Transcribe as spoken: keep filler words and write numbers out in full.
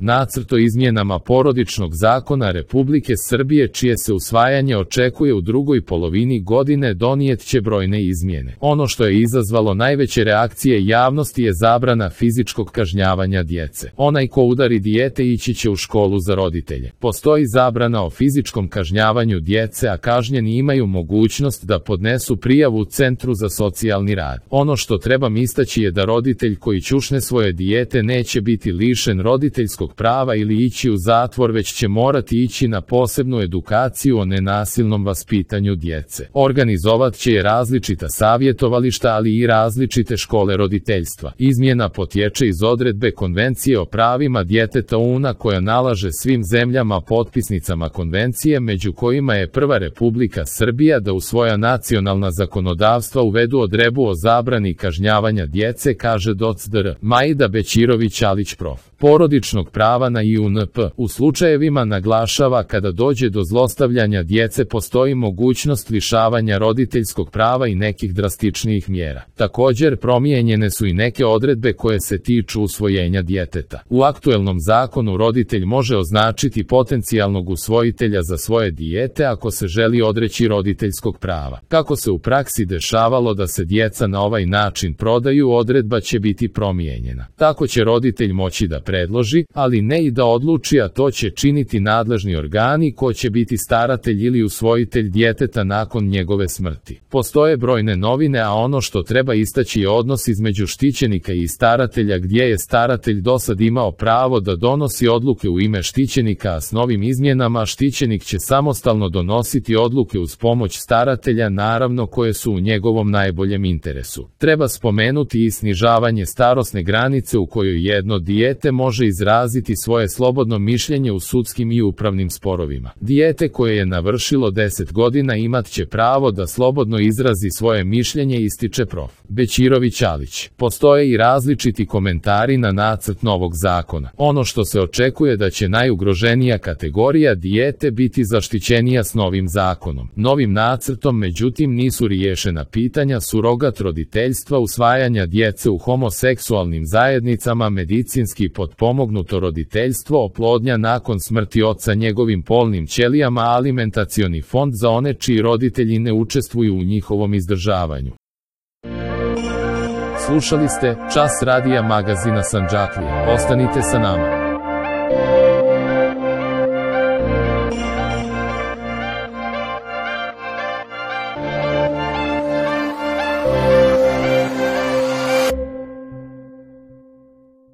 Nacrt o izmjenama Porodičnog zakona Republike Srbije, čije se usvajanje očekuje u drugoj polovini godine, donijet će brojne izmjene. Ono što je izazvalo najveće reakcije javnosti je zabrana fizičkog kažnjavanja djece. Onaj ko udari dijete ići će u školu za roditelje. Postoji zabrana o fizičkom kažnjavanju djece, a kažnjeni imaju mogućnost da podnesu prijavu Centru za socijalni rad. Ono što treba istaći je da roditelj koji ćušne svoje dijete neće biti lišen roditeljskog prava ili ići u zatvor, već će morati ići na posebnu edukaciju o nenasilnom vaspitanju djece. Organizovat će je različita savjetovališta, ali i različite škole roditeljstva. Izmjena potječe iz odredbe Konvencije o pravima djeteta U N-a koja nalaže svim zemljama potpisnicama konvencije, među kojima je prva Republika Srbija, da u svoja nacionalna zakonodavstva uvedu odredbu o zabrani kažnjavanja djece, kaže doc. dr. Majda Bećirović-Alić, prof. Porodičnog prava na I U N P. U slučajevima, naglašava, kada dođe do zlostavljanja djece postoji mogućnost lišavanja roditeljskog prava i nekih drastičnijih mjera. Također, promijenjene su i neke odredbe koje se tiču usvojenja djeteta. U aktuelnom zakonu roditelj može označiti potencijalnog usvojitelja za svoje dijete ako se želi odreći roditeljskog prava. Kako se u praksi dešavalo da se djeca na ovaj način prodaju, odredba će biti promijenjena. Tako će roditelj moći da predloži, ali ne i da odluči, a to će činiti nadležni organi, ko će biti staratelj ili usvojitelj djeteta nakon njegove smrti. Postoje brojne novine, a ono što treba istaći je odnos između štićenika i staratelja, gdje je staratelj dosad imao pravo da donosi odluke u ime štićenika, a s novim izmjenama štićenik će samostalno donositi odluke uz pomoć staratelja, naravno koje su u njegovom najboljem interesu. Treba spomenuti i snižavanje starosne granice u kojoj jedno dijete može izraziti svoje slobodno mišljenje u sudskim i upravnim sporovima. Dijete koje je navršilo deset godina imat će pravo da slobodno izrazi svoje mišljenje, ističe prof. Bećirović-Alić. Postoje i različiti komentari na nacrt novog zakona. Ono što se očekuje da će najugroženija kategorija dijete biti zaštićenija s novim zakonom. Novim nacrtom, međutim, nisu riješena pitanja surogat roditeljstva, usvajanja djece u homoseksualnim zajednicama, medicinski potpomognuto roditeljstvo, oplodnja nakon smrti oca njegovim polnim ćelijama, alimentacioni fond za one čiji roditelji ne učestvuju u njihovom izdržavanju. Slušali ste Čas radija magazina Sandžaklija. Ostanite sa nama.